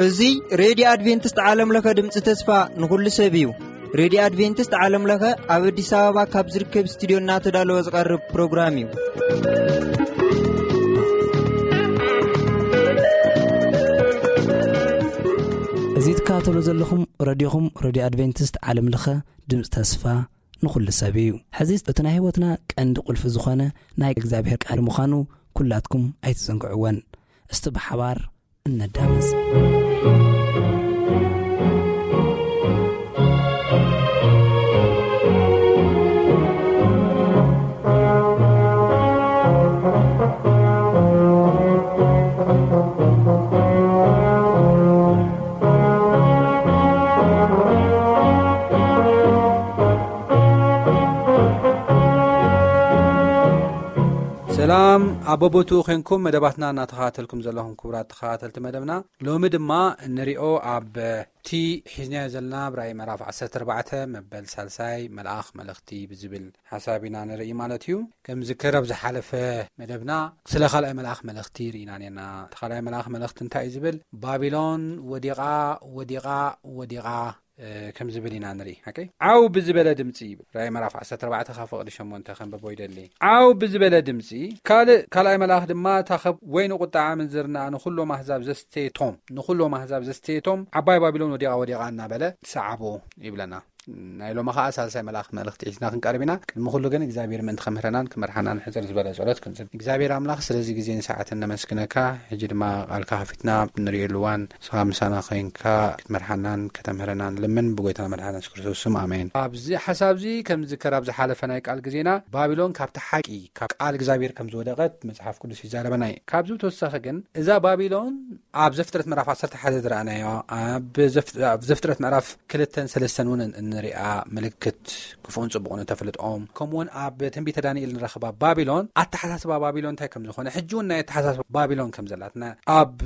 እዚ ሬድዮ ኣድቬንቲስት ዓለም ለኸ ድምፂ ተስፋ ንኹሉ ሰብ እዩ። ሬድዮ ኣድቬንቲስት ዓለም ለኸ ኣብ ኣዲስ ኣበባ ካብ ዝርከብ ስቱዲዮ እናተዳለወ ዝቐርብ ፕሮግራም እዩ። እዚ ትከታተሉ ዘለኹም ረድዮኹም ሬድዮ ኣድቬንቲስት ዓለም ለኸ ድምፂ ተስፋ ንኹሉ ሰብ እዩ። ሕዚ እቲ ናይ ህይወትና ቀንዲ ቁልፊ ዝኾነ ናይ እግዚኣብሔር ቃል ምዃኑ ኩላትኩም ኣይትዘንግዕወን። እስቲ ብሓባር እነዳምፅ። ሰላም ኣብ በቦትኡ ኮንኩም መደባትና እናተኸታተልኩም ዘለኹም ክቡራት ተኸታተልቲ መደብና፣ ሎሚ ድማ እንሪኦ ኣብ እቲ ሒዝናዮ ዘለና ኣብ ራእይ ምዕራፍ ዓሰርተ ኣርባዕተ መበል ሳልሳይ መልኣኽ መልእኽቲ ብዝብል ሓሳብ ኢና ንርኢ ማለት እዩ። ከም ዝከር ኣብ ዝሓለፈ መደብና ስለ ካልኣይ መልኣኽ መልእኽቲ ርኢና ነርና። እቲ ካልኣይ መልኣኽ መልእኽቲ እንታይ እዩ ዝብል? ባቢሎን ወዲቓ፣ ወዲቓ፣ ወዲቓ፣ እ፣ ከም ዝብል ኢና ንርኢ። ኦኬ? ዓው ብዝበለ ድምፂ ይብል። ራእይ ምዕራፍ ዓሰርተ ኣርባዕተ ካብ ፍቕዲ ሸሞንተ ከንብቦ ይደሊ። ዓው ብዝበለ ድምፂ ካልእ፣ ካልኣይ መልኣኽ ድማ፣ እታ ኸብ ወይኒ ቁጥዓ ምንዝርና ንኹሎም ኣህዛብ ዘስተየቶም፣ ንኹሎም ኣህዛብ ዘስተየቶም ዓባይ ባቢሎን ወዲቓ፣ ወዲቓ እናበለ ሰዓቦ ይብለና። ናይ ሎሚ ኸዓ ሳልሳይ መልኣኽ መልእኽቲ ሒዝና ክንቀርብ ኢና። ቅድሚ ኩሉ ግን እግዚኣብሔር ምእንቲ ከምህረናን ክመርሓናን ሕፅር ዝበለ ጸሎት ክንጽል። እግዚኣብሔር ኣምላኽ ስለዚ ግዜን ሰዓትን ነመስግነካ። ሕጂ ድማ ቃልካ ከፊትና ንርእየሉ እዋን ንስኻ ምሳና ኮይንካ ክትመርሓናን ከተምህረናን ልምን ብጎይታና መድሓና የሱስ ክርስቶስ ስም ኣሜን። ኣብዚ ሓሳብ እዚ ከም ዝከር ኣብ ዝሓለፈ ናይ ቃል ግዜና ባቢሎን ካብቲ ሓቂ ካብ ቃል እግዚኣብሔር ከም ዝወደቐት መጽሓፍ ቅዱስ ይዛረበና እዩ። ካብዚ ብተወሳኺ ግን እዛ ባቢሎን ኣብ ዘፍጥረት ምዕራፍ ዓሰርተ ሓደ ዝረኣናዮ፣ ኣብ ዘፍ-፣ ኣብ ዘፍጥረት ምዕራፍ ክልተን ሰለስተን እውን እንሪኣ ምልክት ክፉእን ጽቡቕን እተፍልጦም፣ ከምኡውን ኣብ ትንቢተ ዳንኤል ንረኽባ ባቢሎን፣ ኣተሓሳስባ ባቢሎን እንታይ ከም ዝኾነ፣ ሕጂ እውን ናይ ኣተሓሳስባ ባቢሎን ከም ዘላትና፣ ኣብ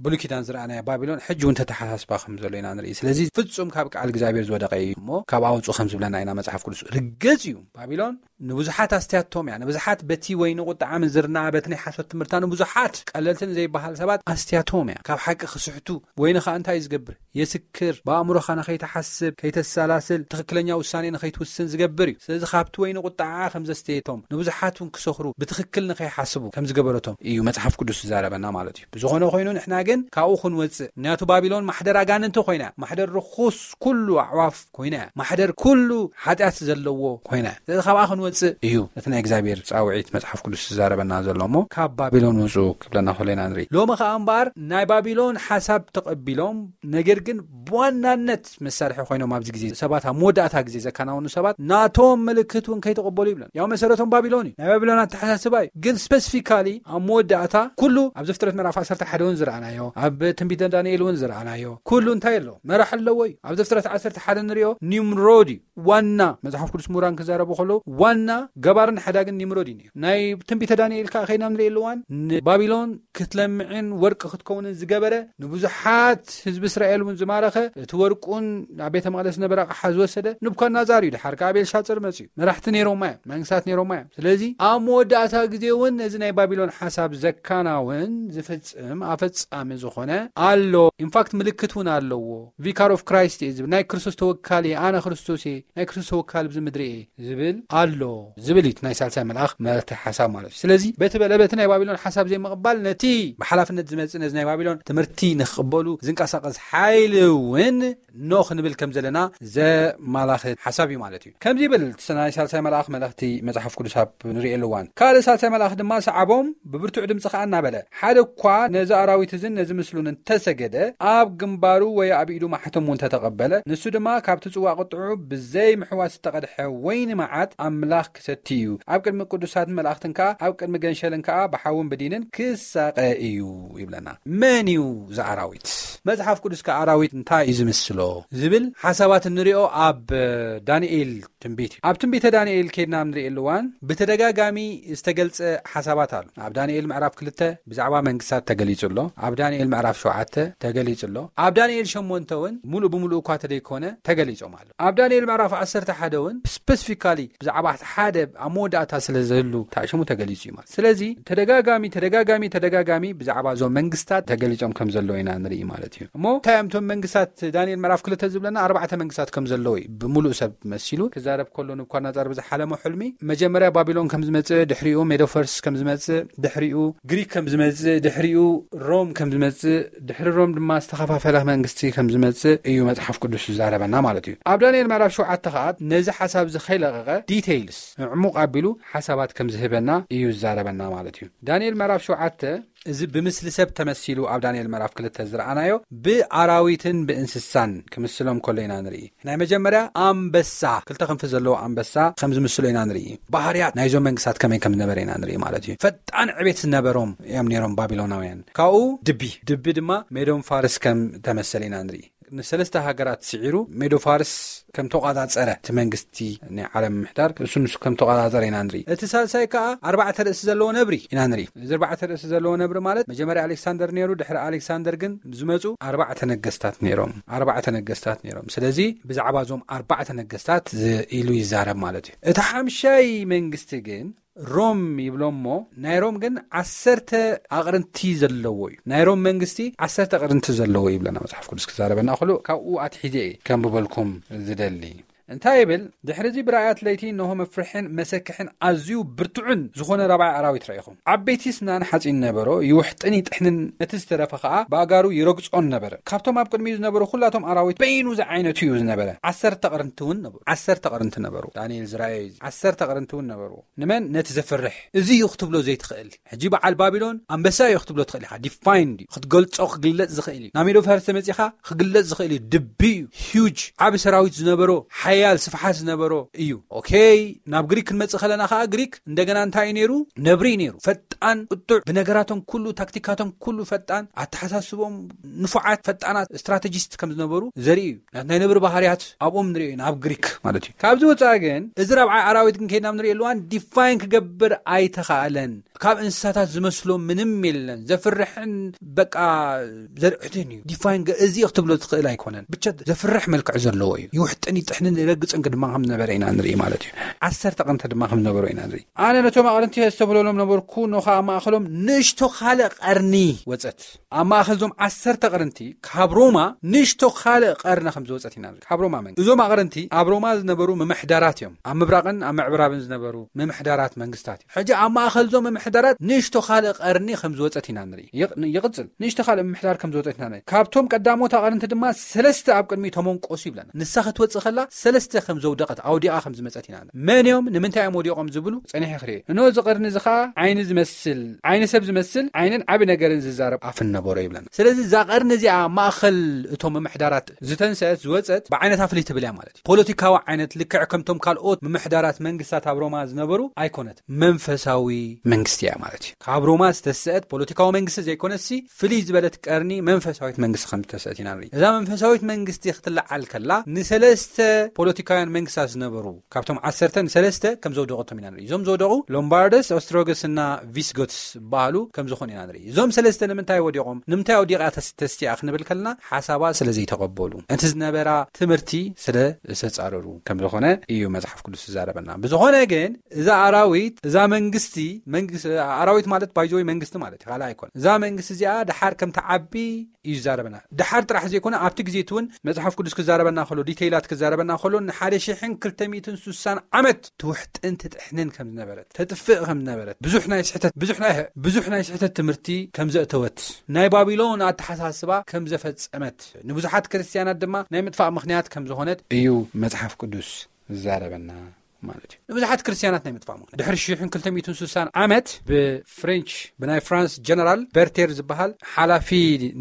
ብሉይ ኪዳን ዝረኣናዮ ባቢሎን ሕጂ እውን ተተሓሳስባ ከም ዘሎ ኢና ንርኢ። ስለዚ ፍጹም ካብ ቃል እግዚኣብሔር ዝወደቐ እዩ እሞ ካብ ኣውፁ ከም ዝብለና ኢና መጽሓፍ ቅዱስ። ርግጽ እዩ ባቢሎን ንብዙሓት ኣስትያቶም እያ። ንብዙሓት በቲ ወይኒ ቁጥዓ ምንዝርና፣ በቲ ናይ ሓሶት ትምህርታ ንብዙሓት ቀለልትን ዘይበሃል ሰባት ኣስትያቶም እያ። ካብ ሓቂ ክስሕቱ፣ ወይኒ ኸኣ እንታይ እዩ ዝገብር? የስክር፣ ብኣእምሮኻ ንኸይትሓስብ፣ ከይተሰላስል፣ ትኽክለኛ ውሳኔ ንኸይትውስን ዝገብር እዩ። ስለዚ ካብቲ ወይኒ ቁጥዓ ከም ዘስተየቶም፣ ንብዙሓት እውን ክሰኽሩ፣ ብትኽክል ንኸይሓስቡ ከም ዝገበረቶም እዩ መጽሓፍ ቅዱስ ዝዛረበና ማለት እዩ። ብዝኾነ ኮይኑ ንሕና ግን ካብኡ ክንወጽእ፣ ምክንያቱ ባቢሎን ማሕደር ኣጋንንቲ ኮይና እያ። ማሕደር ርኹስ ኩሉ ኣዕዋፍ ኮይና እያ። ማሕደር ኩሉ ሓጢኣት ዘለዎ ኮይና እያ። ስለዚ ካብኣ ክንወጽእ እዩ እቲ ናይ እግዚኣብሔር ጻውዒት መጽሓፍ ቅዱስ ዝዛረበና ዘሎ እሞ፣ ካብ ባቢሎን ውጹ ክብለና ከሎ ኢና ንርኢ። ሎሚ ከኣ እምበኣር ናይ ባቢሎን ሓሳብ ተቐቢሎም፣ ነገር ግን ብዋናነት መሳርሒ ኮይኖም ኣብዚ ግዜ ሰባት ኣብ መወዳእታ ግዜ ዘከናውኑ ሰባት ናቶም ምልክት እውን ከይተቐበሉ ይብለን። ያው መሰረቶም ባቢሎን እዩ። ናይ ባቢሎን ኣተሓሳስባ እዩ። ግን ስፔሲፊካሊ ኣብ መወዳእታ ኩሉ ኣብ ዘፍጥረት ምዕራፍ ዓሰርተ ሓደ እውን ዝረኣናዮ፣ ኣብ ትንቢተ ዳንኤል እውን ዝረኣናዮ ኩሉ እንታይ ኣለዎ? መራሕ ኣለዎ እዩ። ኣብ ዘፍጥረት ዓሰርተ ሓደ ንሪኦ ኒምሮድ እዩ ዋና። መጽሓፍ ቅዱስ ምሁራን ክዛረቡ ከለዉ ዋና ገባርን ሓዳግን ኒምሮድ እዩ ነይሩ። ናይ ትንቢተ ዳንኤል ከኣ ከይና ንሪኦ ኣለዋን ንባቢሎን ክትለምዕን ወርቂ ክትከውንን ዝገበረ፣ ንብዙሓት ህዝቢ እስራኤል እውን ዝማረኸ፣ እቲ ወርቁን ኣብ ቤተ መቕደስ ዝነበረ ኣቕሓ ዝወሰደ ንቡካድነጻር እዩ። ድሓር ከኣ ቤልሻጽር መጺኡ። መራሕቲ ነይሮማ እዮም፣ መንግስታት ነይሮማ እዮም። ስለዚ ኣብ መወዳእታ ግዜ እውን ነዚ ናይ ባቢሎን ሓሳብ ዘካናውን ዝፍጽም ኣፈጻሚ ዝኾነ ኣሎ። ኢንፋክት ምልክት እውን ኣለዎ። ቪካር ኦፍ ክራይስት እየ ዝብል፣ ናይ ክርስቶስ ተወካሊ እየ፣ ኣነ ክርስቶስ እየ፣ ናይ ክርስቶስ ተወካሊ ኣብዚ ምድሪ እየ ዝብል ኣሎ ዝብል እዩ እቲ ናይ ሳልሳይ መልኣኽ መልእኽቲ ሓሳብ ማለት እዩ። ስለዚ በቲ በለ በቲ ናይ ባቢሎን ሓሳብ ዘይምቕባል ነቲ ብሓላፍነት ዝመጽእ ነዚ ናይ ባቢሎን ትምህርቲ ንክቕበሉ ዝንቀሳቐስ ሓይሊ እውን ኖ ክንብል ከም ዘለና ዘማላኽት ሓሳብ እዩ ማለት እዩ። ከምዚ ይብል እቲ ናይ ሳልሳይ መልኣኽ መልእኽቲ መጽሓፍ ቅዱስ ኣብ ንርእየሉ እዋን፣ ካልእ ሳልሳይ መልኣኽ ድማ ሰዓቦም ብብርቱዕ ድምፂ ኸዓ እናበለ፣ ሓደ እኳ ነዚ ኣራዊት እዝን ነዚ ምስሉን እንተሰገደ፣ ኣብ ግንባሩ ወይ ኣብ ኢዱ ማሕተሙ እንተተቐበለ፣ ንሱ ድማ ካብቲ ጽዋ ቁጥዑ ብዘይ ምሕዋስ ዝተቐድሐ ወይኒ መዓት ኣምላኽ ክሰቲ እዩ። ኣብ ቅድሚ ቅዱሳትን መላእኽትን ከኣ፣ ኣብ ቅድሚ ገንሸልን ከኣ ብሓውን ብዲንን ክሳቐ እዩ ይብለና። መን እዩ እዚ ኣራዊት? መጽሓፍ ቅዱስ ከኣ ኣራዊት እንታይ እዩ ዝምስሎ ዝብል ሓሳባት እንሪኦ ኣብ ዳንኤል ትንቢት እዩ። ኣብ ትንቢተ ዳንኤል ከድና ንርእየሉ እዋን ብተደጋጋሚ ዝተገልጸ ሓሳባት ኣሎ። ኣብ ዳንኤል ምዕራፍ ክልተ ብዛዕባ መንግስታት ተገሊጹ ኣሎ። ኣብ ዳንኤል ምዕራፍ ሸውዓተ ተገሊጹ ኣሎ። ኣብ ዳንኤል ሸሞንተ እውን ሙሉእ ብሙሉእ እኳ ተደይኮነ ተገሊጾም ኣሎ። ኣብ ዳንኤል ምዕራፍ ዓሰርተ ሓደ እውን ስፐሲፊካሊ ብዛዕባ ሓደ ኣብ መወዳእታ ስለ ዘህሉ ታሽሙ ተገሊጹ እዩ ማለት። ስለዚ ተደጋጋሚ ተደጋጋሚ ተደጋጋሚ ብዛዕባ እዞም መንግስታት ተገሊጾም ከም ዘለዉ ኢና ንርኢ ማለት እዩ። እሞ እንታይ እዮም እቶም መንግስታት? ዳንኤል ምዕራፍ ክልተ ዝብለና ኣርባዕተ መንግስታት ከም ዘለዉ እዩ ብሙሉእ ሰብ መሲሉ ክዛረብ ከሎ፣ ንቡካድነጻር ብዝሓለሞ ሕልሚ መጀመርያ ባቢሎን ከም ዝመጽእ፣ ድሕሪኡ ሜዶፈርስ ከም ዝመጽእ፣ ድሕሪኡ ግሪክ ከም ዝመጽእ፣ ድሕሪኡ ሮም ከም ዝመጽእ፣ ድሕሪ ሮም ድማ ዝተኸፋፈለ መንግስቲ ከም ዝመጽእ እዩ መጽሓፍ ቅዱስ ዝዛረበና ማለት እዩ። ኣብ ዳንኤል ምዕራፍ ሸውዓተ ከኣ ነዚ ሓሳብ እዚ ከይለቐቐ ዲቴይልስ ዕሙቕ ኣቢሉ ሓሳባት ከም ዝህበና እዩ ዝዛረበና ማለት እዩ። ዳንኤል ምዕራፍ ሸውዓተ እዚ ብምስሊ ሰብ ተመሲሉ ኣብ ዳንኤል ምዕራፍ ክልተ ዝረኣናዮ ብኣራዊትን ብእንስሳን ክምስሎም ከሎ ኢና ንርኢ። ናይ መጀመርያ ኣንበሳ፣ ክልተ ክንፊ ዘለዎ ኣንበሳ ከም ዝምስሎ ኢና ንርኢ። ባህርያት ናይዞም መንግስታት ከመይ ከም ዝነበረ ኢና ንርኢ ማለት እዩ። ፈጣን ዕቤት ዝነበሮም እዮም ነይሮም ባቢሎናውያን። ካብኡ ድቢ፣ ድቢ ድማ ሜዶን ፋርስ ከም ተመሰለ ኢና ንርኢ። ንሰለስተ ሃገራት ስዒሩ ሜዶ ፋርስ ከም ተቋጻጸረ፣ እቲ መንግስቲ ናይ ዓለም ምሕዳር እሱ ንሱ ከም ተቋጻጸረ ኢና ንርኢ። እቲ ሳልሳይ ከኣ ኣርባዕተ ርእሲ ዘለዎ ነብሪ ኢና ንርኢ። እዚ ኣርባዕተ ርእሲ ዘለዎ ነብሪ ማለት መጀመርያ ኣሌክሳንደር ነይሩ፣ ድሕሪ ኣሌክሳንደር ግን ዝመጹ ኣርባዕተ ነገስታት ነይሮም። ኣርባዕተ ነገስታት ነይሮም። ስለዚ ብዛዕባ እዞም ኣርባዕተ ነገስታት ዝ-፣ ኢሉ ይዛረብ ማለት እዩ። እቲ ሓምሻይ መንግስቲ ግን ሮም ይብሎ እሞ፣ ናይ ሮም ግን ዓሰርተ ኣቕርንቲ ዘለዎ እዩ። ናይ ሮም መንግስቲ ዓሰርተ ኣቕርንቲ ዘለዎ ይብለና መጽሓፍ ቅዱስ ክዛረበና ከሎ፣ ካብኡ ኣትሒዘ እየ ከንብበልኩም ዝደሊ። እንታይ ይብል? ድሕሪ እዚ ብራእያት ለይቲ እንሆ መፍርሕን መሰክሕን ኣዝዩ ብርቱዕን ዝኾነ ራብዓይ ኣራዊት ረኢኹ። ዓበይቲ ስናን ሓጺን ነበሮ፣ ይውሕጥን ይጥሕንን፣ ነቲ ዝተረፈ ኸኣ ብኣጋሩ ይረግጾን ነበረ። ካብቶም ኣብ ቅድሚኡ ዝነበሩ ኩላቶም ኣራዊት በይኑ ዝዓይነቱ እዩ ዝነበረ። ዓሰርተ ኣቕርንቲ እውን ነበሩ። ዓሰርተ ኣቕርንቲ ነበሩ። ዳንኤል ዝረኣዮ እዩ። ዓሰርተ ኣቕርንቲ እውን ነበሩ። ንመን? ነቲ ዘፍርሕ። እዚ እዩ ክትብሎ ዘይትኽእል። ሕጂ በዓል ባቢሎን ኣንበሳ እዩ ክትብሎ ትኽእል ኢኻ። ዲፋይንድ እዩ። ክትገልጾ ክግለጽ ዝኽእል እዩ። ናብ ሜዶ ፋርስ ተመጺኻ ክግለጽ ዝኽእል እዩ። ድቢ እዩ። ሂውጅ፣ ዓቢ ሰራዊት ዝነበሮ፣ ሓያል ስፍሓት ዝነበሮ እዩ። ኦኬ፣ ናብ ግሪክ ክንመጽእ ከለና ከኣ ግሪክ እንደገና እንታይ እዩ ነይሩ? ነብሪ እዩ ነይሩ። ፈጣን፣ ቁጡዕ፣ ብነገራቶም ኩሉ፣ ታክቲካቶም ኩሉ ፈጣን፣ ኣተሓሳስቦም ንፉዓት፣ ፈጣናት ስትራተጂስት ከም ዝነበሩ ዘርኢ እዩ። ናይ ነብሪ ባህርያት ኣብኦም ንሪኦ ኢና፣ ኣብ ግሪክ ማለት እዩ። ካብዚ ወፃኢ ግን እዚ ራብዓይ ኣራዊት ግን ከይድና ንሪኦ ኣለዋን ዲፋይን ክገብር ኣይተኻእለን። ካብ እንስሳታት ዝመስሎ ምንም የለን። ዘፍርሕን በቃ ዘርዕትን እዩ። ዲፋይን ገ-፣ እዚ ክትብሎ ትኽእል ኣይኮነን። ብቻ ዘፍርሕ መልክዕ ዘለዎ እዩ። ይውሕጥን ይጥሕንን ይረግፅን ድማ ከም ዝነበረ ኢና ንርኢ ማለት እዩ። ዓሰርተ ኣቕርንቲ ድማ ከም ዝነበሮ ኢና ንርኢ። ኣነ ነቶም ኣቕርንቲ የስተብህለሎም ነበርኩ፣ እነሆ ኣብ ማእኸሎም ንእሽቶ ካልእ ቀርኒ ወፀት። ኣብ ማእኸል እዞም ዓሰርተ ኣቕርንቲ ካብ ሮማ ንእሽቶ ካልእ ቀርኒ ከም ዝወፀት ኢና ንርኢ። ካብ ሮማ መንግስቲ። እዞም ኣቕርንቲ ኣብ ሮማ ዝነበሩ ምምሕዳራት እዮም። ኣብ ምብራቕን ኣብ ምዕብራብን ዝነበሩ ምምሕዳራት መንግስታት እዮም። ሕጂ ኣብ ማእኸል እዞም ምምሕዳራት ንእሽቶ ካልእ ቀርኒ ከም ዝወፀት ኢና ንርኢ። ይቕ-፣ ይቕፅል። ንእሽቶ ካልእ ምምሕዳር ከም ዝወፀት ኢና ንርኢ። ካብቶም ቀዳሞት ኣቕርንቲ ድማ ሰለስተ ኣብ ቅድሚኡ ተመንቆሱ ይብለና። ንሳ ክትወፅእ ከላ ሰለስተ ከም ዘውደቐት፣ ኣውዲቓ ከም ዝመፀት ኢና ንርኢ። መን እዮም? ንምንታይ እዮም ወዲቖም ዝብሉ ፀኒሐ ክርኢ። እነሆ እዚ ቀርኒ እዚ ኸዓ ዓይኒ ዝመስል፣ ዓይኒ ሰብ ዝመስል ዓይንን ዓቢ ነገርን ዝዛረብ ኣፍን ነበሮ ይብለና። ስለዚ እዛ ቀርኒ እዚኣ ማእኸል እቶም ምምሕዳራት ዝተንሰአት ዝወፀት ብዓይነታ ፍልይ ትብል እያ ማለት እዩ። ፖለቲካዊ ዓይነት ልክዕ ከምቶም ካልኦት ምምሕዳራት መንግስታት ኣብ ሮማ ዝነበሩ ኣይኮነት። መንፈሳዊ መንግስቲ እያ ማለት እዩ። ካብ ሮማ ዝተሰአት ፖለቲካዊ መንግስቲ ዘይኮነሲ ፍልይ ዝበለት ቀርኒ መንፈሳዊት መንግስቲ ከም ዝተሰአት ኢና ንርኢ። እዛ መንፈሳዊት መንግስቲ ክትለዓል ከላ ንሰለስተ ፖለቲካውያን መንግስታት ዝነበሩ ካብቶም ዓሰርተ ንሰለስተ ከም ዘውደቐቶም ኢና ንርኢ። እዞም ዝወደቑ ሎምባርደስ፣ ኦስትሮገስ እና ቪስጎትስ ዝበሃሉ ከም ዝኾኑ ኢና ንርኢ። እዞም ሰለስተ ንምንታይ ወዲቖም? ንምንታይ ወዲቓ ተስ-፣ ተስቲኣ ክንብል ከለና ሓሳባ ስለ ዘይተቐበሉ፣ እቲ ዝነበራ ትምህርቲ ስለ ዝተጻረሩ ከም ዝኾነ እዩ መጽሓፍ ቅዱስ ዝዛረበና። ብዝኾነ ግን እዛ ኣራዊት፣ እዛ መንግስቲ፣ መንግስ-፣ ኣራዊት ማለት ባይዘወይ መንግስቲ ማለት እዩ፣ ካልእ ኣይኮነ። እዛ መንግስቲ እዚኣ ደሓር ከም ትዓቢ እዩ ዝዛረበና። ደሓር ጥራሕ ዘይኮነ ኣብቲ ግዜ እቲ እውን መጽሓፍ ቅዱስ ክዛረበና ከሎ፣ ዲቴይላት ክዛረበና ከሎ ንሓደ ሽሕን ክልተ ሚእትን ስሳን ዓመት ትውሕጥን ትጥሕንን ከም ዝነበረት፣ ተጥፍእ ከም ዝነበረት፣ ብዙሕ ናይ ስሕተት፣ ብዙሕ ናይ፣ ብዙሕ ናይ ስሕተት ትምህርቲ ከም ዘእተወት፣ ናይ ባቢሎን ኣተሓሳስባ ከም ዘፈጸመት፣ ንብዙሓት ክርስትያናት ድማ ናይ ምጥፋእ ምኽንያት ከም ዝኾነት እዩ መጽሓፍ ቅዱስ ዝዛረበና ማለት እዩ። ንብዙሓት ክርስትያናት ናይ ምጥፋእ ምኽንያት ድሕሪ ሽሕን ክልተ ሚእትን ስሳን ዓመት ብፍሬንች ብናይ ፍራንስ ጀነራል በርቴር ዝበሃል ሓላፊ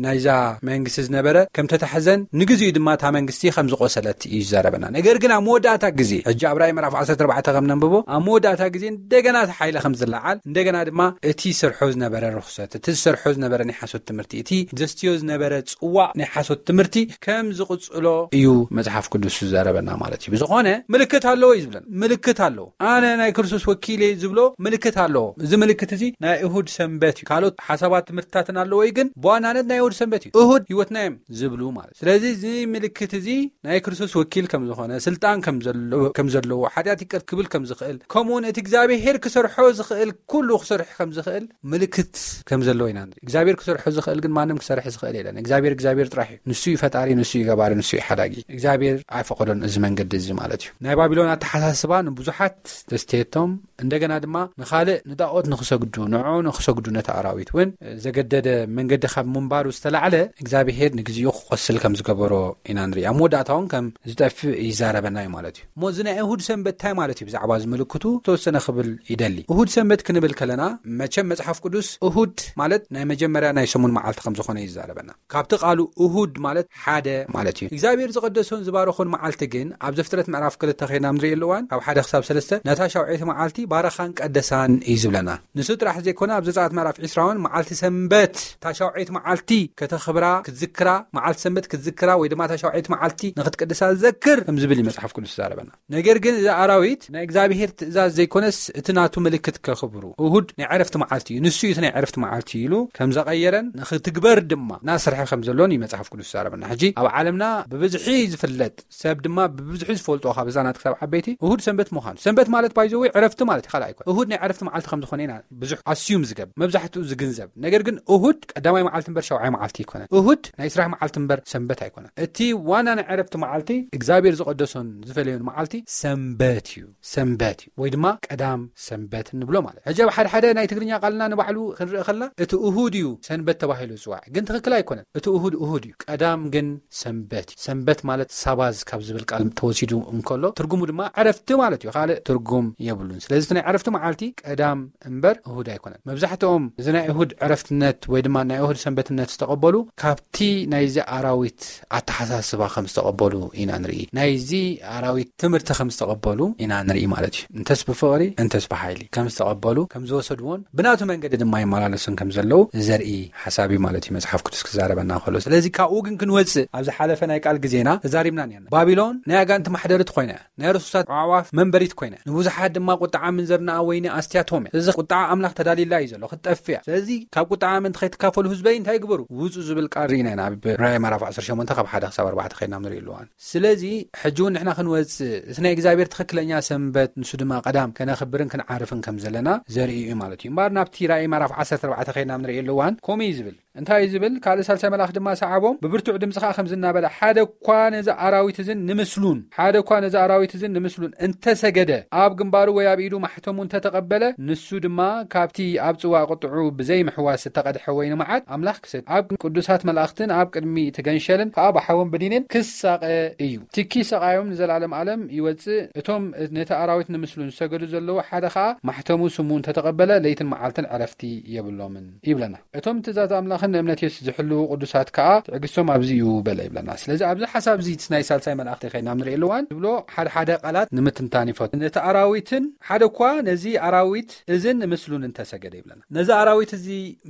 ናይዛ መንግስቲ ዝነበረ ከም ተታሕዘን ንግዚኡ ድማ እታ መንግስቲ ከም ዝቆሰለት እዩ ዝዛረበና። ነገር ግን ኣብ መወዳእታ ግዜ ሕጂ ኣብ ራእይ ምዕራፍ ዓሰርተ ኣርባዕተ ከም ነንብቦ ኣብ መወዳእታ ግዜ እንደገና እቲ ሓይሊ ከም ዝለዓል እንደገና ድማ እቲ ዝሰርሖ ዝነበረ ርኩሰት እቲ ዝሰርሖ ዝነበረ ናይ ሓሶት ትምህርቲ እቲ ዘስትዮ ዝነበረ ጽዋዕ ናይ ሓሶት ትምህርቲ ከም ዝቕጽሎ እዩ መጽሓፍ ቅዱስ ዝዛረበና ማለት እዩ። ብዝኾነ ምልክት ኣለዎ እዩ ዝብለን። ምልክት ኣለዎ። ኣነ ናይ ክርስቶስ ወኪል እየ ዝብሎ ምልክት ኣለዎ። እዚ ምልክት እዚ ናይ እሁድ ሰንበት እዩ። ካልኦት ሓሳባት ትምህርትታትን ኣለዎ እዩ፣ ግን ብዋናነት ናይ እሁድ ሰንበት እዩ። እሁድ ህይወትና እዮም ዝብሉ ማለት። ስለዚ እዚ ምልክት እዚ ናይ ክርስቶስ ወኪል ከም ዝኾነ፣ ስልጣን ከም ዘለዎ፣ ከም ዘለዎ፣ ሓጢኣት ይቅር ክብል ከም ዝኽእል፣ ከምኡ እውን እቲ እግዚኣብሔር ክሰርሖ ዝኽእል ኩሉ ክሰርሕ ከም ዝኽእል ምልክት ከም ዘለዎ ኢና ንርኢ። እግዚኣብሔር ክሰርሖ ዝኽእል ግን ማንም ክሰርሕ ዝኽእል የለን። እግዚኣብሔር እግዚኣብሔር ጥራሕ እዩ። ንሱ እዩ ፈጣሪ፣ ንሱ እዩ ገባሪ፣ ንሱ እዩ ሓዳጊ። እግዚኣብሔር ኣይፈቐዶን እዚ መንገዲ እዚ ማለት እዩ። ናይ ባቢሎን ኣተሓሳስባ ንብዙሓት ዘስተየቶም፣ እንደገና ድማ ንኻልእ ንጣዖት ንክሰግዱ፣ ንዕኡ ንክሰግዱ፣ ነቲ ኣራዊት እውን ዘገደደ መንገዲ ካብ ምንባሩ ዝተላዕለ እግዚኣብሔር ንግዚኡ ክቆስል ከም ዝገበሮ ኢና ንርኢ። ኣብ መወዳእታ እውን ከም ዝጠፍእ ይዛረበና እዩ ማለት እዩ። እሞ እዚ ናይ እሁድ ሰንበት እንታይ ማለት እዩ? ብዛዕባ እዚ ምልክቱ ተወሰነ ክብል ይደሊ። እሁድ ሰንበት ክንብል ከለና መቸም መጽሓፍ ቅዱስ እሁድ ማለት ናይ መጀመርያ ናይ ሰሙን መዓልቲ ከም ዝኾነ ይዛረበና። ካብቲ ቃሉ እሁድ ማለት ሓደ ማለት እዩ። እግዚኣብሔር ዝቐደሶን ዝባረኾን መዓልቲ ግን ኣብ ዘፍጥረት ምዕራፍ ክልተ ኸይና ንርኢ ኣለዋን ካብ ሓደ ክሳብ ሰለስተ ነታ ሻውዓይቲ መዓልቲ ባረኻን ቀደሳን እዩ ዝብለና። ንሱ ጥራሕ ዘይኮነ ኣብ ዘጸኣት ምዕራፍ ዒስራ እውን መዓልቲ ሰንበት እታ ሻውዓይቲ መዓልቲ ከተኽብራ ክትዝክራ፣ መዓልቲ ሰንበት ክትዝክራ ወይ ድማ እታ ሻውዓይቲ መዓልቲ ንክትቅድሳ ዘክር ከም ዝብል እዩ መጽሓፍ ቅዱስ ዝዛረበና። ነገር ግን እዚ ኣራዊት ናይ እግዚኣብሔር ትእዛዝ ዘይኮነስ እቲ ናቱ ምልክት ከኽብሩ። እሁድ ናይ ዕረፍቲ መዓልቲ እዩ። ንሱ እዩ እቲ ናይ ዕረፍቲ መዓልቲ ኢሉ ከም ዘቐየረን ንክትግበር ድማ እናሰርሐ ከም ዘሎን እዩ መጽሓፍ ቅዱስ ዝዛረበና። ሕጂ ኣብ ዓለምና ብብዝሒ ዝፍለጥ ሰብ ድማ ብብዝሒ ዝፈልጦ ካብ ህፃናት ክሳብ ዓበይቲ እሁድ ሰንበት ምዃኑ። ሰንበት ማለት ባይዘወይ ዕረፍቲ ማለት እዩ፣ ካልእ ኣይኮነ። እሁድ ናይ ዕረፍቲ መዓልቲ ከም ዝኾነ ኢና ብዙሕ ኣስዩም ዝገብ መብዛሕትኡ ዝግንዘብ። ነገር ግን እሁድ ቀዳማይ መዓልቲ እምበር ሻውዓይ መዓልቲ ኣይኮነን። እሁድ ናይ ስራሕ መዓልቲ እምበር ሰንበት ኣይኮነን። እቲ ዋና ናይ ዕረፍቲ መዓልቲ እግዚኣብሔር ዝቐደሶን ዝፈለዮን መዓልቲ ሰንበት እዩ። ሰንበት እዩ ወይ ድማ ቀዳም ሰንበት ንብሎ ማለት። ሕጂ ኣብ ሓደ ሓደ ናይ ትግርኛ ቃልና ንባዕሉ ክንርኢ ከላ እቲ እሁድ እዩ ሰንበት ተባሂሉ ዝጽዋዕ፣ ግን ትኽክል ኣይኮነን። እቲ እሁድ እሁድ እዩ፣ ቀዳም ግን ሰንበት እዩ። ሰንበት ማለት ሳባዝ ካብ ዝብል ቃል ተወሲዱ እንከሎ ትርጉሙ ድማ ዕረፍቲ ማለት እዩ፣ ካልእ ትርጉም የብሉን። ስለዚ እቲ ናይ ዕረፍቲ መዓልቲ ቀዳም እምበር እሁድ ኣይኮነን። መብዛሕትኦም እዚ ናይ እሁድ ዕረፍትነት ወይ ድማ ናይ እሁድ ሰንበትነት ዝተቐበሉ ካብቲ ናይዚ ኣራዊት ኣተሓሳስባ ከም ዝተቐበሉ ኢና ንርኢ። ናይዚ ኣራዊት ትምህርቲ ከም ዝተቐበሉ ኢና ንርኢ ማለት እዩ። እንተስ ብፍቕሪ እንተስ ብሓይሊ ከም ዝተቐበሉ ከም ዝወሰድዎን ብናቱ መንገዲ ድማ ይመላለሱን ከም ዘለዉ ዘርኢ ሓሳብ እዩ ማለት እዩ መጽሓፍ ቅዱስ ክዛረበና ከሎ። ስለዚ ካብኡ ግን ክንወጽእ ኣብ ዝሓለፈ ናይ ቃል ግዜና ተዛሪብና ነርና። ባቢሎን ናይ ኣጋንንቲ ማሕደሪት ኮይና እያ። ናይ ርሱሳት ኣዕዋፍ መንበሪት ኮይና እያ። ንብዙሓት ድማ ቁጥዓ ምንዘርናኣ ወይኒ ኣስትያቶም እያ። ስለዚ ቁጥዓ ኣምላኽ ተዳልዩላ እዩ ዘሎ፣ ክትጠፍእ እያ። ስለዚ ካብ ቁጥዓ ምእንቲ ከይትካፈሉ ህዝበይ እንታይ ግበሩ? ውጹ ዝብል ቃል ርኢና ኢና ኣብ ራእይ ምዕራፍ ዓሰርተ ሸሞንተ ካብ ሓደ ክሳብ ኣርባዕተ ከይድና ንርኢ ኣለዋን። ስለዚ ሕጂ እውን ንሕና ክንወጽእ እቲ ናይ እግዚኣብሔር ትኽክለኛ ሰንበት ንሱ ድማ ቀዳም ከነኽብርን ክንዓርፍን ከም ዘለና ዘርኢ እዩ ማለት እዩ። እምበኣር ናብቲ ራእይ ምዕራፍ ዓሰርተ ኣርባዕተ ከይድና ንርኢ ኣለዋን ከምኡ እዩ ዝብል። እንታይ እዩ ዝብል? ካልእ ሳልሳይ መልኣኽ ድማ ሰዓቦም፣ ብብርቱዕ ድምጺ ኸኣ ከምዚ እናበለ፣ ሓደ እኳ ነዚ ኣራዊት እዝን ንምስሉን፣ ሓደ እኳ ነዚ ኣራዊት እዝን ንምስሉን እንተሰገደ፣ ኣብ ግንባሩ ወይ ኣብ ኢዱ ማሕተሙ እንተተቐበለ፣ ንሱ ድማ ካብቲ ኣብ ጽዋእ ቁጥዑ ብዘይምሕዋስ እተቐድሐ ወይኒ መዓት ኣምላኽ ክሰቲ፣ ኣብ ቅዱሳት መላእኽትን ኣብ ቅድሚ እቲ ገንሸልን ከኣ ብሓውን ብዲንን ክሳቐ እዩ። ትኪ ሰቓዮም ንዘለኣለም ዓለም ይወጽእ። እቶም ነቲ ኣራዊት ንምስሉን ዝሰገዱ ዘለዉ ሓደ ኸኣ ማሕተሙ ስሙ እንተተቐበለ፣ ለይትን መዓልትን ዕረፍቲ የብሎምን ይብለና። እቶም ትእዛዝ ኣምላኽን ንእምነት የሱስ ዝሕልዉ ቅዱሳት ከኣ ትዕግስቶም ኣብዚ እዩ በለ ይብለና። ስለዚ ኣብዚ ሓሳብ እዚ ናይ ሳልሳይ መልኣኽቲ ከይና ንርኢ ኣለዋን ዝብሎ ሓደ ሓደ ቃላት ንምትንታን ይፈቱ። ነቲ ኣራዊትን ሓደ እኳ ነዚ ኣራዊት እዝን ምስሉን እንተሰገደ ይብለና። ነዚ ኣራዊት እዚ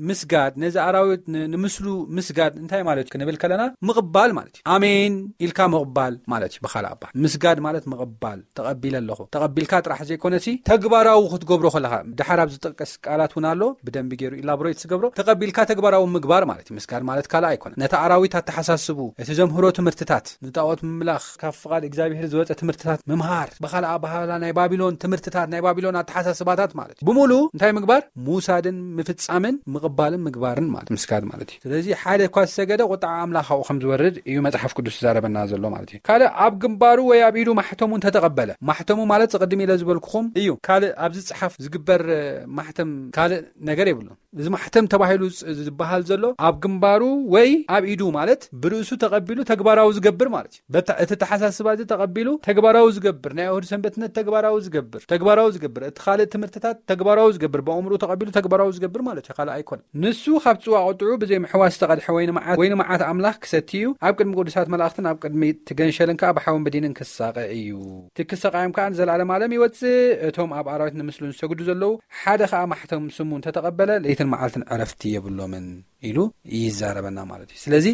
ምስጋድ፣ ነዚ ኣራዊት ን-፣ ንምስሉ ምስጋድ እንታይ ማለት እዩ ክንብል ከለና ምቕባል ማለት እዩ። ኣሜን ኢልካ ምቕባል ማለት እዩ። ብኻልእ ኣባል ምስጋድ ማለት ምቕባል፣ ተቐቢለ ኣለኹ። ተቐቢልካ ጥራሕ ዘይኮነሲ ተግባራዊ ክትገብሮ ከለኻ፣ ድሓር ኣብ ዝጥቀስ ቃላት እውን ኣሎ፣ ብደንቢ ገይሩ ኢላቦሬት ዝገብሮ። ተቐቢልካ ተግባራዊ ምግባር ማለት እዩ። ምስጋድ ማለት ካልእ ኣይኮነን። ነቲ ኣራዊት ኣተሓሳስቡ፣ እቲ ዘምህሮ ትምህርትታት፣ ንጣዖት ምምላኽ፣ ካብ ፍቓድ እግዚኣብሔር ዝወጸ ትምህርትታት ምምሃር፣ ብኻልእ ኣባህላ ናይ ባቢሎን ትምህርትታት፣ ናይ ባቢሎን ኣተሓሳስባታት ማለት እዩ። ብምሉ እንታይ ምግባር? ምውሳድን ምፍጻምን ምቕባልን ምግባርን ማለት ምስጋድ ማለት እዩ። ስለዚ ሓደ እኳ ዝሰገደ ቁጥዓ ኣምላኽ ኣብኡ ከም ዝወርድ እዩ መጽሓፍ ቅዱስ ዝዛረበና ዘሎ ማለት እዩ። ካልእ ኣብ ግንባሩ ወይ ኣብ ኢዱ ማሕተሙ እንተተቐበለ፣ ማሕተሙ ማለት ዝቕድም ኢለ ዝበልኩኹም እዩ። ካልእ ኣብዚ ጽሓፍ ዝግበር፣ እ፣ ማሕተም ካልእ ነገር የብሉን። እዚ ማሕተም ተባሂሉ ዝ-፣ ዝበሃል ዘሎ ኣብ ግንባሩ ወይ ኣብ ኢዱ፣ ማለት ብርእሱ ተቐቢሉ ተግባራዊ ዝገብር ማለት እዩ። በታ-፣ እቲ ተሓሳስባ እዚ ተቐቢሉ ተግባራዊ ዝገብር፣ ናይ እሁድ ሰንበትነት ተግባራዊ ዝገብር፣ ተግባራዊ ዝገብር፣ እቲ ካልእ ትምህርትታት ተግባራዊ ዝገብር፣ ብኣእምሮ ተቐቢሉ ተግባራዊ ዝገብር ማለት እዩ። ካልእ ኣይኮነን። ንሱ ካብ ጽዋ ቁጥዑ ብዘይ ምሕዋስ ዝተቐድሐ ወይኒ መዓት፣ ወይኒ መዓት ኣምላኽ ክሰቲ እዩ። ኣብ ቅድሚ ቅዱሳት መላእኽትን ኣብ ቅድሚ እቲ ገንሸልን ከኣ ብሓውን ብዲንን ክሳቐ እዩ። እቲ ክሳቐዮም ከኣ ንዘለዓለም ዓለም ይወጽእ። እቶም ኣብ ኣራዊት ንምስሉ ዝሰግዱ ዘለዉ፣ ሓደ ከኣ ማሕተም ስሙ እንተተቐበለ፣ ለይትን መዓልትን ዕረፍቲ የብሎምን ኢሉ ይዛረበና ማለት እዩ። ስለዚ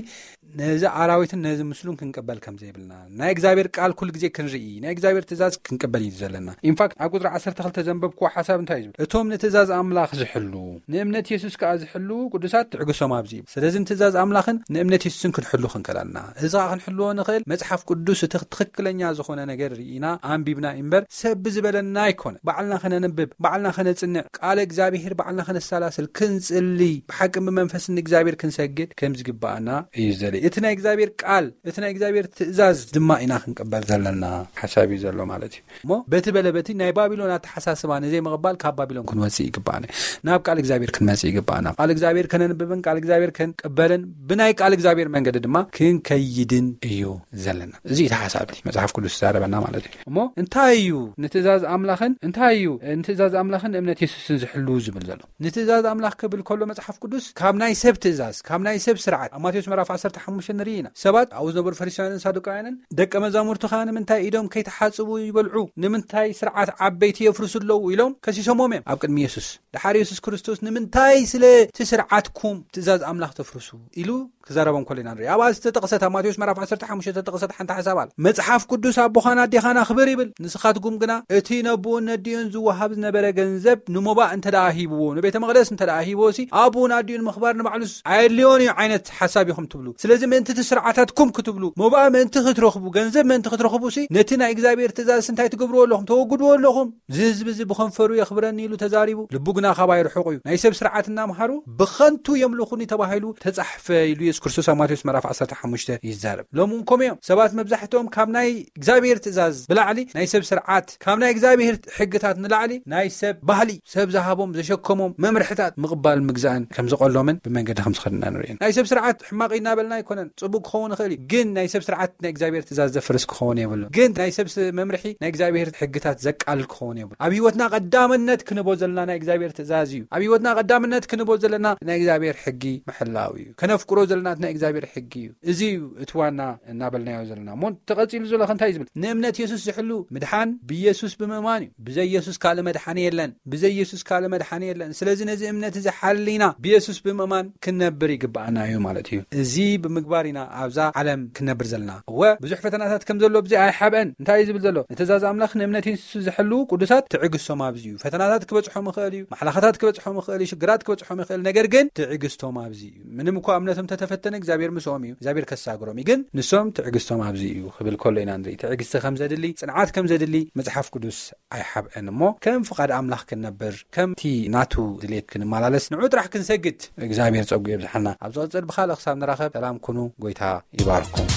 ነዚ ኣራዊትን ነዚ ምስሉን ክንቅበል ከም ዘይብልና፣ ናይ እግዚኣብሔር ቃል ኩሉ ግዜ ክንርኢ፣ ናይ እግዚኣብሔር ትእዛዝ ክንቅበል እዩ ዘለና። ኢንፋክት ኣብ ቁጽሪ ዓሰርተ ክልተ ዘንበብክዎ ሓሳብ እንታይ እዩ ዝብል? እቶም ንትእዛዝ ኣምላኽ ዝሕሉ፣ ንእምነት የሱስ ከኣ ዝሕሉ ቅዱሳት ትዕግሶም ኣብዚ እዩ። ስለዚ ንትእዛዝ ኣምላኽን ንእምነት የሱስን ክንሕሉ ክንከላልና፣ እዚ ከኣ ክንሕልዎ ንኽእል መጽሓፍ ቅዱስ እቲ ትኽክለኛ ዝኾነ ነገር ርኢና ኣንቢብና እምበር ሰብ ብዝበለና ኣይኮነ። ባዕልና ከነንብብ፣ ባዕልና ከነጽንዕ፣ ቃለ እግዚኣብሔር ባዕልና ከነሰላስል፣ ክንጽሊ፣ ብሓቅን ብመንፈስን ንእግዚኣብሔር ክንሰግድ ከም ዝግባኣና እዩ ዘርኢ። እቲ ናይ እግዚኣብሔር ቃል፣ እቲ ናይ እግዚኣብሔር ትእዛዝ ድማ ኢና ክንቅበል ዘለና ሓሳብ እዩ ዘሎ ማለት እዩ። እሞ በቲ በለ በቲ ናይ ባቢሎን ኣተሓሳስባ ንዘይምቕባል ካብ ባቢሎን ክንወጽእ ይግባኣና። ናብ ቃል እግዚኣብሔር ክንመጽእ ይግባኣና። ቃል እግዚኣብሔር ከነንብብን ቃል እግዚኣብሔር ክንቅበልን ብናይ ቃል እግዚኣብሔር መንገዲ ድማ ክንከይድን እዩ ዘለና። እዚ እቲ ሓሳብ እቲ መጽሓፍ ቅዱስ ዝዛረበና ማለት እዩ። እሞ እንታይ እዩ ንትእዛዝ ኣምላኽን፣ እንታይ እዩ ንትእዛዝ ኣምላኽን እምነት የሱስን ዝሕሉ ዝብል ዘሎ? ንትእዛዝ ኣምላኽ ክብል ከሎ መጽሓፍ ቅዱስ ካብ ናይ ሰብ ትእዛዝ፣ ካብ ናይ ሰብ ስርዓት፣ ኣብ ማቴዎስ ምዕራፍ ዓሰርተ ሓሙሽተ ንርኢ ኢና። ሰባት ኣብኡ ዝነበሩ ፈሪሳውያንን ሳዱቃውያንን ደቀ መዛሙርቱ ከኣ ንምንታይ ኢዶም ከይተሓጽቡ ይበልዑ? ንምንታይ ስርዓት ዓበይቲ የፍርሱ ኣለዉ? ኢሎም ከሲሶሞም እዮም ኣብ ቅድሚ የሱስ። ደሓር የሱስ ክርስቶስ ንምንታይ ስለ እቲ ስርዓትኩም ትእዛዝ ኣምላኽ ተፍርሱ? ኢሉ ክዛረቦም ከሎ ኢና ንርኢ። ኣብኣ ዝተጠቕሰት፣ ኣብ ማቴዎስ ምዕራፍ ዓሰርተ ሓሙሽተ ዝተጠቕሰት ሓንቲ ሓሳብ ኣላ። መጽሓፍ ቅዱስ ኣቦኻን ኣዴኻን ኣኽብር ይብል። ንስኻትኩም ግና እቲ ነቦኡን ነዲኡን ዝወሃብ ዝነበረ ገንዘብ ንሞባእ እንተ ደኣ ሂብዎ፣ ንቤተ መቕደስ እንተ ደኣ ሂብዎ ሲ፣ ኣቦኡን ኣዲኡን ምኽባር ንባዕሉስ ኣየድልዮን እዩ ዓይነት ሓሳብ ኢኹም ትብሉ። ስለዚ ምእንቲ እቲ ስርዓታትኩም ክትብሉ፣ ሞባእ ምእንቲ ክትረኽቡ፣ ገንዘብ ምእንቲ ክትረኽቡ ሲ፣ ነቲ ናይ እግዚኣብሔር ትእዛዝ እንታይ ትገብርዎ ኣለኹም? ተወግድዎ ኣለኹም። እዚ ህዝቢ እዚ ብኸንፈሩ የኽብረኒ ኢሉ ተዛሪቡ፣ ልቡ ግና ካባይ ርሑቕ እዩ። ናይ ሰብ ስርዓት እናምሃሩ ብኸንቱ የምልኹኒ ተባሂሉ ተጻሕፈ ኢሉ የሱስ ክርስቶስ ኣብ ማቴዎስ ምዕራፍ ዓሰርተ ሓሙሽተ ይዛረብ። ሎም እውን ከምኡ እዮም። ሰባት መብዛሕትኦም ካብ ናይ እግዚኣብሔር ትእዛዝ ብላዕሊ ናይ ሰብ ስርዓት፣ ካብ ናይ እግዚኣብሔር ሕግታት ንላዕሊ ናይ ሰብ ባህሊ፣ ሰብ ዝሃቦም ዘሸከሞም መምርሕታት ምቕባል ምግዛእን ከም ዝቐሎምን ብመንገዲ ከም ዝኸድና ንርኢ። ናይ ሰብ ስርዓት ሕማቕ እዩ እናበልና ኣይኮነን፣ ጽቡቕ ክኸውን ይኽእል እዩ። ግን ናይ ሰብ ስርዓት ናይ እግዚኣብሔር ትእዛዝ ዘፍርስ ክኸውን የብሉን። ግን ናይ ሰብ ስ-፣ መምርሒ ናይ እግዚኣብሔር ሕግታት ዘቃልል ክኸውን የብሉን። ኣብ ህይወትና ቀዳምነት ክንቦ ዘለና ናይ እግዚኣብሔር ትእዛዝ እዩ። ኣብ ህይወትና ቀዳምነት ክንቦ ዘለና ናይ እግዚኣብሔር ሕጊ ምሕላው እዩ። ከነፍቅሮ ዘለና ናይ እግዚኣብሔር ሕጊ እዩ። እዚ እዩ እቲ ዋና እናበልናዮ ዘለና። እሞ ተቐጺሉ ዘሎ ከ እንታይ እዩ ዝብል? ንእምነት የሱስ ዝሕሉ ምድሓን ብየሱስ ብምእማን እዩ። ብዘይ የሱስ ካልእ መድሓኒ የለን። ብዘይ የሱስ ካልእ መድሓኒ የለን። ስለዚ ነዚ እምነት እዚ ሓሊና ብየሱስ ብምእማን ክንነብር ይግብኣና እዩ ማለት እዩ። እዚ ብምግባር ኢና ኣብዛ ዓለም ክንነብር ዘለና። እወ፣ ብዙሕ ፈተናታት ከም ዘሎ ብዚ ኣይሓብአን። እንታይ እዩ ዝብል ዘሎ? ንትእዛዝ ኣምላኽ ንእምነት የሱስ ዝሕሉ ቅዱሳት ትዕግስቶም ኣብዚ እዩ። ፈተናታት ክበጽሖም ይኽእል እዩ። ማሕለኻታት ክበጽሖም ይኽእል እዩ። ሽግራት ክበጽሖም ይኽእል። ነገር ግን ትዕግስቶም ኣብዚ እዩ። ምንም እኳ እምነቶም ተተፈተነ እግዚኣብሔር ምስኦም እዩ። እግዚኣብሔር ከሳግሮም እዩ። ግን ንሶም ትዕግስቶም ኣብዚ እዩ ክብል ከሎ ኢና ንርኢ። ትዕግስቲ ከም ዘድሊ፣ ጽንዓት ከም ዘድሊ መጽሓፍ ቅዱስ ኣይሓብአን እሞ ከም ፍቓድ ኣምላኽ ክንነብር፣ ከምቲ ናቱ ድሌት ክንመላለስ ንዑ ጥራሕ ክንሰግድ እግዚኣብሔር ጸጉ የብዝሓና። ኣብ ዝቕጽል ብኻልእ ክሳብ ንራኸብ ሰላም ኩኑ። ጎይታ ይባርኩም።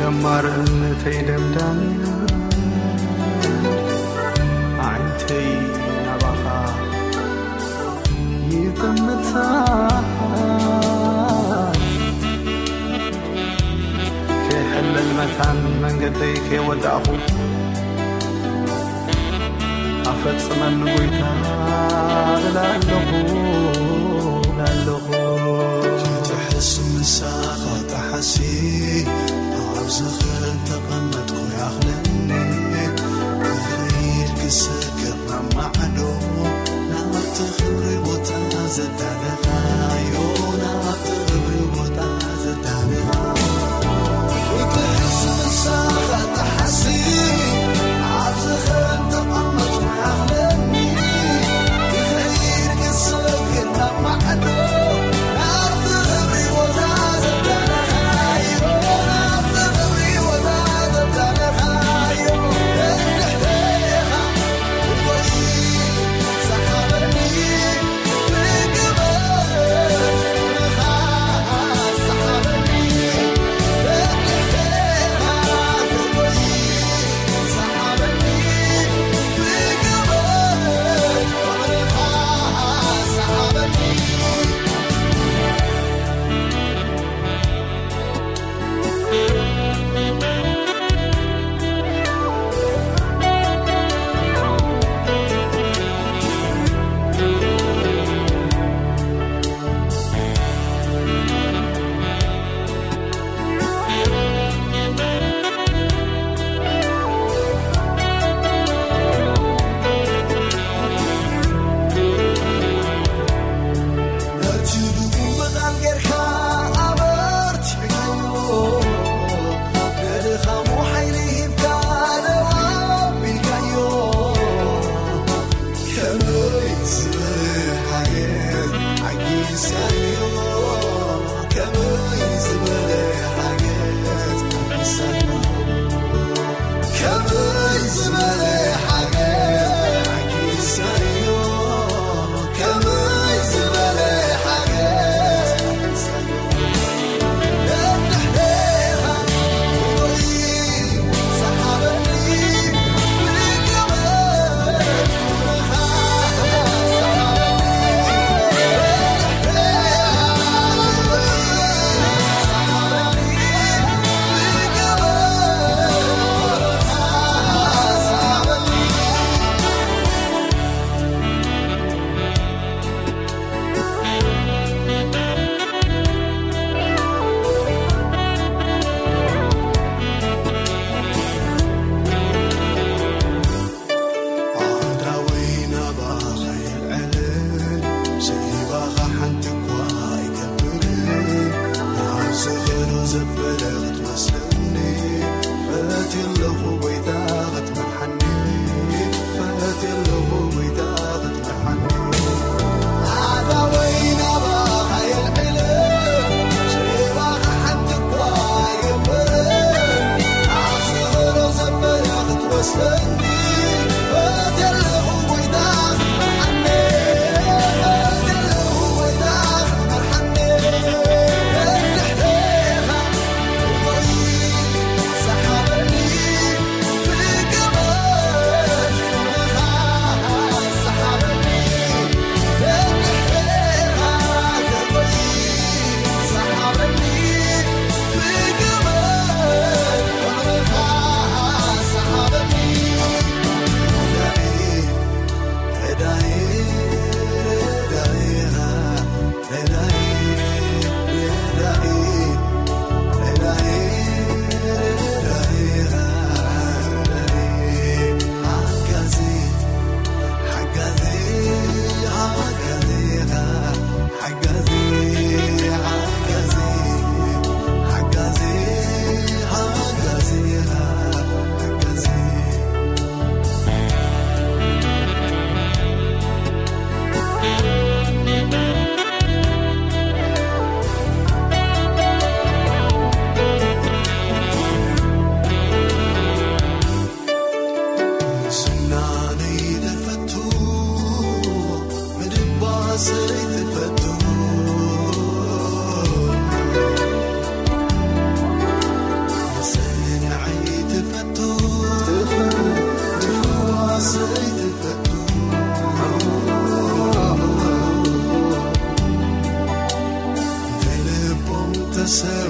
ጀማርነተይ ደምዳምያ ዓይንተይ ናባኻ ይጥምታ። ከይሕለል መታን መንገደይ ከይወዳእኹ ኣፈጽመኒ ጎይታ እላለኹ፣ እላለኹ። ክትሕስ ምሳኻ ጠሓሲ ኣብ ዝኽሪ እንተቐመጥኩ ይኣኽለኒ። ክኸይድ ክሰግር ናብ ማዕዶ ናብቲ ክብሪ ቦታ ዘዳለኻዮ፣ ናብቲ ክብሪ ቦታ ሰ